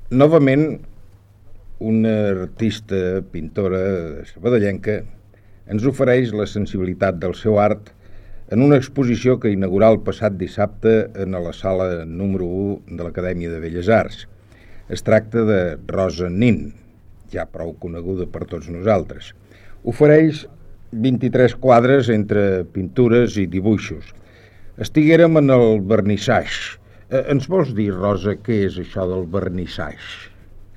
Novament, una artista pintora sabadellenca ens ofereix la sensibilitat del seu art en una exposició que inaugurà el passat dissabte en la sala número 1 de l'Acadèmia de Belles Arts. Es tracta de Rosa Nin, ja prou coneguda per tots nosaltres. Ofereix 23 quadres entre pintures i dibuixos. Estiguérem en el vernissatge. Ens vols dir, Rosa, què és això del vernissatge?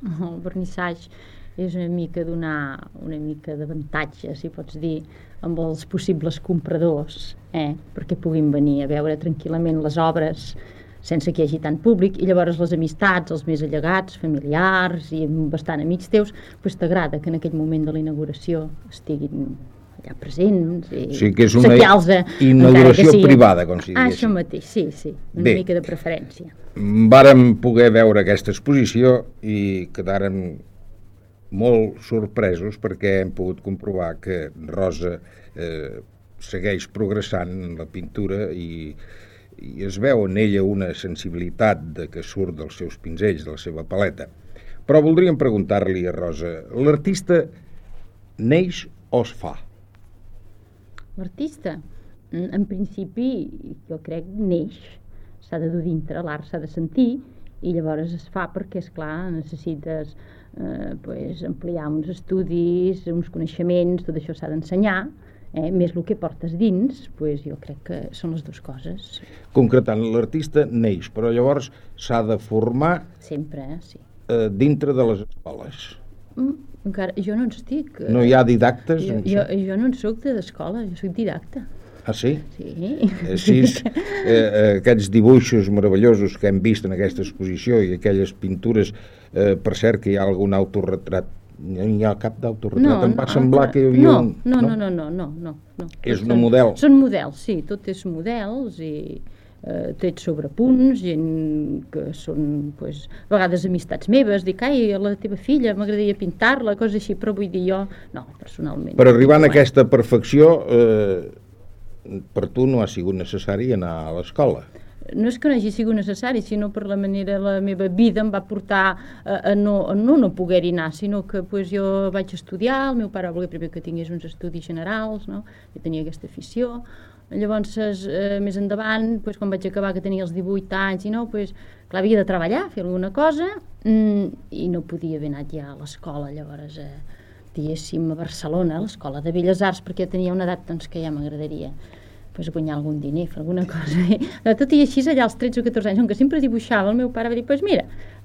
El vernissatge és una mica donar una mica d'avantatge, si pots dir, amb els possibles compradors, perquè puguin venir a veure tranquil·lament les obres sense que hi hagi tant públic, i llavors les amistats, els més allegats, familiars i bastant amics teus, doncs t'agrada que en aquell moment de la inauguració estiguin allà presents i sí, que és una inauguració privada, com si diguéssim. Això mateix, sí, una mica de preferència. Vàrem poder veure aquesta exposició i quedàrem molt sorpresos perquè hem pogut comprovar que Rosa segueix progressant en la pintura i es veu en ella una sensibilitat que surt dels seus pinzells, de la seva paleta. Però voldríem preguntar-li a Rosa, l'artista neix o es fa? L'artista, en principi, jo crec, neix, s'ha de dur dintre, l'art s'ha de sentir, i llavors es fa perquè, esclar, necessites ampliar uns estudis, uns coneixements, tot això s'ha d'ensenyar, més el que portes dins, jo crec que són les dues coses. Concretant, l'artista neix, però llavors s'ha de formar sempre, sí. Dintre de les escoles. Encara, jo no en estic. No hi ha didactes? Jo no en soc d'escola, jo soc didacta. Ah, sí? Sí. Aquests dibuixos meravellosos que hem vist en aquesta exposició i aquelles pintures, per cert que hi ha algun autorretrat, no hi ha cap d'autorretrat, em va semblar que hi havia un... No. És un model? Són models, sí, tot és models i trets sobre punts, gent que són, a vegades amistats meves, dic, ai, la teva filla, m'agradaria pintar-la, coses així, però vull dir jo, no, personalment. Per arribar a aquesta perfecció, per tu no ha sigut necessari anar a l'escola? No és que no hagi sigut necessari, sinó per la manera la meva vida em va portar a no poder-hi anar, sinó que jo vaig estudiar, el meu pare va voler primer que tingués uns estudis generals, no? Jo tenia aquesta afició. Llavors, més endavant, quan vaig acabar, que tenia els 18 anys, clar, havia de treballar, fer alguna cosa, i no podia haver anat ja a l'escola, llavors, diguéssim, a Barcelona, a l'Escola de Belles Arts, perquè tenia una edat que ja m'agradaria guanyar algun diner, fer alguna cosa. Tot i així, allà als 13 o 14 anys, on que sempre dibuixava, el meu pare va dir, mira,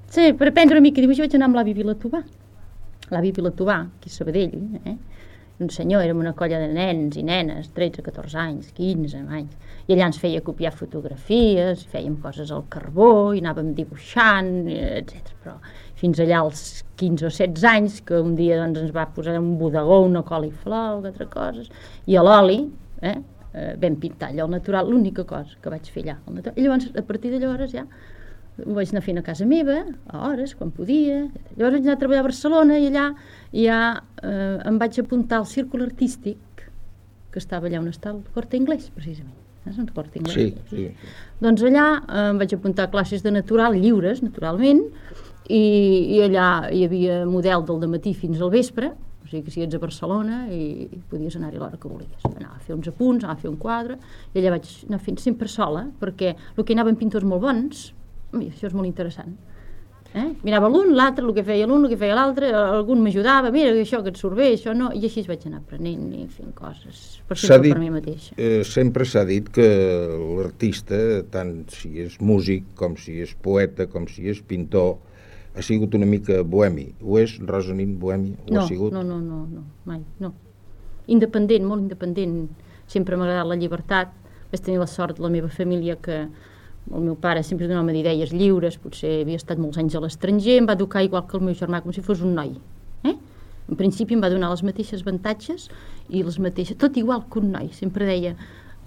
per aprendre una mica a dibuixar vaig anar amb l'avi Vilatovà. L'avi Vilatovà, aquí a Sabadell, un senyor, érem una colla de nens i nenes, 13, 14 anys, 15 anys, i allà ens feia copiar fotografies, fèiem coses al carbó, i anàvem dibuixant, etc. Però fins allà als 15 o 16 anys, que un dia ens va posar un bodegó, una coliflor, altres coses, i a l'oli, vam pintar allò al natural, l'única cosa que vaig fer allà al natural. I llavors, a partir de llavors ja ho vaig anar fent a casa meva, a hores, quan podia. Llavors vaig anar a treballar a Barcelona i allà ja em vaig apuntar al círcul artístic, que estava allà on està el Corte Inglés, precisament. És el Corte Inglés. Sí. Doncs allà em vaig apuntar a classes de natural, lliures, naturalment, i allà hi havia model del dematí fins al vespre, o sigui que si ets a Barcelona i podies anar-hi a l'hora que volies. Anava a fer uns apunts, anava a fer un quadre, i allà vaig anar fent sempre sola, perquè el que hi anaven pintors molt bons, això és molt interessant. Mirava l'un, l'altre, el que feia l'un, el que feia l'altre, algun m'ajudava, mira, això que et surt bé, això no, i així vaig anar aprenent i fent coses per mi mateixa. Sempre s'ha dit que l'artista, tant si és músic, com si és poeta, com si és pintor, ha sigut una mica bohemi. Ho és, Rosa Nin, bohemi? No, mai, no. Independent, molt independent. Sempre m'ha agradat la llibertat. Vaig tenir la sort de la meva família que el meu pare sempre és un home d'idees lliures, potser havia estat molts anys a l'estranger, em va educar igual que el meu germà, com si fos un noi. En principi em va donar les mateixes avantatges i les mateixes, tot igual que un noi. Sempre deia,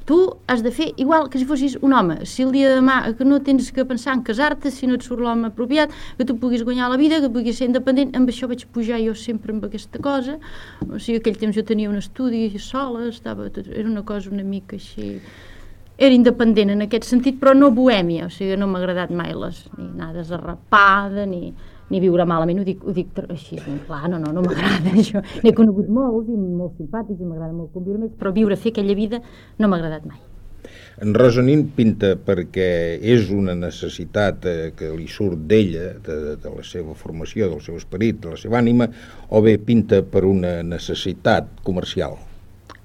tu has de fer igual que si fossis un home. Si el dia de demà que no tens que pensar en casar-te, si no et surt l'home apropiat, que tu puguis guanyar la vida, que puguis ser independent, amb això vaig pujar jo sempre amb aquesta cosa. O sigui, aquell temps jo tenia un estudi sola, era una cosa una mica així... Era independent en aquest sentit, però no bohèmia, o sigui, no m'ha agradat mai ni anades arrapada, ni ni viure malament, ho dic així, clar, no m'agrada això. N'he conegut molts i molt simpàtics i m'agrada molt conviure amb ells, però fer aquella vida no m'ha agradat mai. En Rosa Nin pinta perquè és una necessitat que li surt d'ella, de la seva formació, del seu esperit, de la seva ànima, o bé pinta per una necessitat comercial?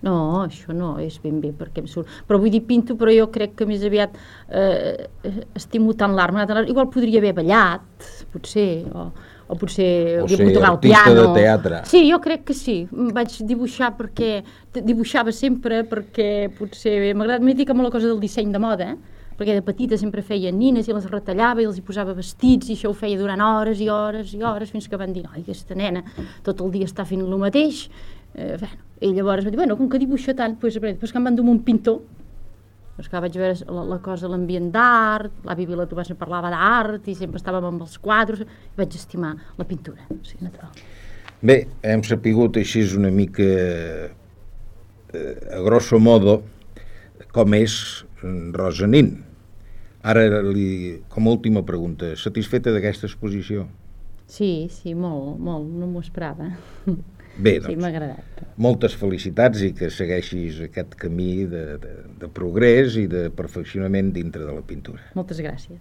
No, això no és ben bé perquè em surt. Però vull dir, pinto, però jo crec que més aviat estimo tant l'art. Igual podria haver ballat, potser, o potser hauria pogut tocar el piano. De teatre. Sí, jo crec que sí. Vaig dibuixar perquè dibuixava sempre perquè potser m'he dedicat molt a la cosa del disseny de moda, perquè de petita sempre feia nines i les retallava i els hi posava vestits i això ho feia durant hores i hores i hores fins que van dir, ai, aquesta nena tot el dia està fent el mateix. I llavors va dir, com que dibuixa tant, doncs que em van dur un pintor. Doncs que vaig veure la cosa, l'ambient d'art, l'avi Vilatobà sempre parlava d'art i sempre estàvem amb els quadres, i vaig estimar la pintura, sí, natural. Bé, hem sapigut així una mica, a grosso modo, com és Rosa Nin. Ara, com a última pregunta, satisfeta d'aquesta exposició? Sí, molt, no m'ho esperava. Bé, doncs, sí, m'ha agradat. Moltes felicitats i que segueixis aquest camí de progrés i de perfeccionament dintre de la pintura. Moltes gràcies.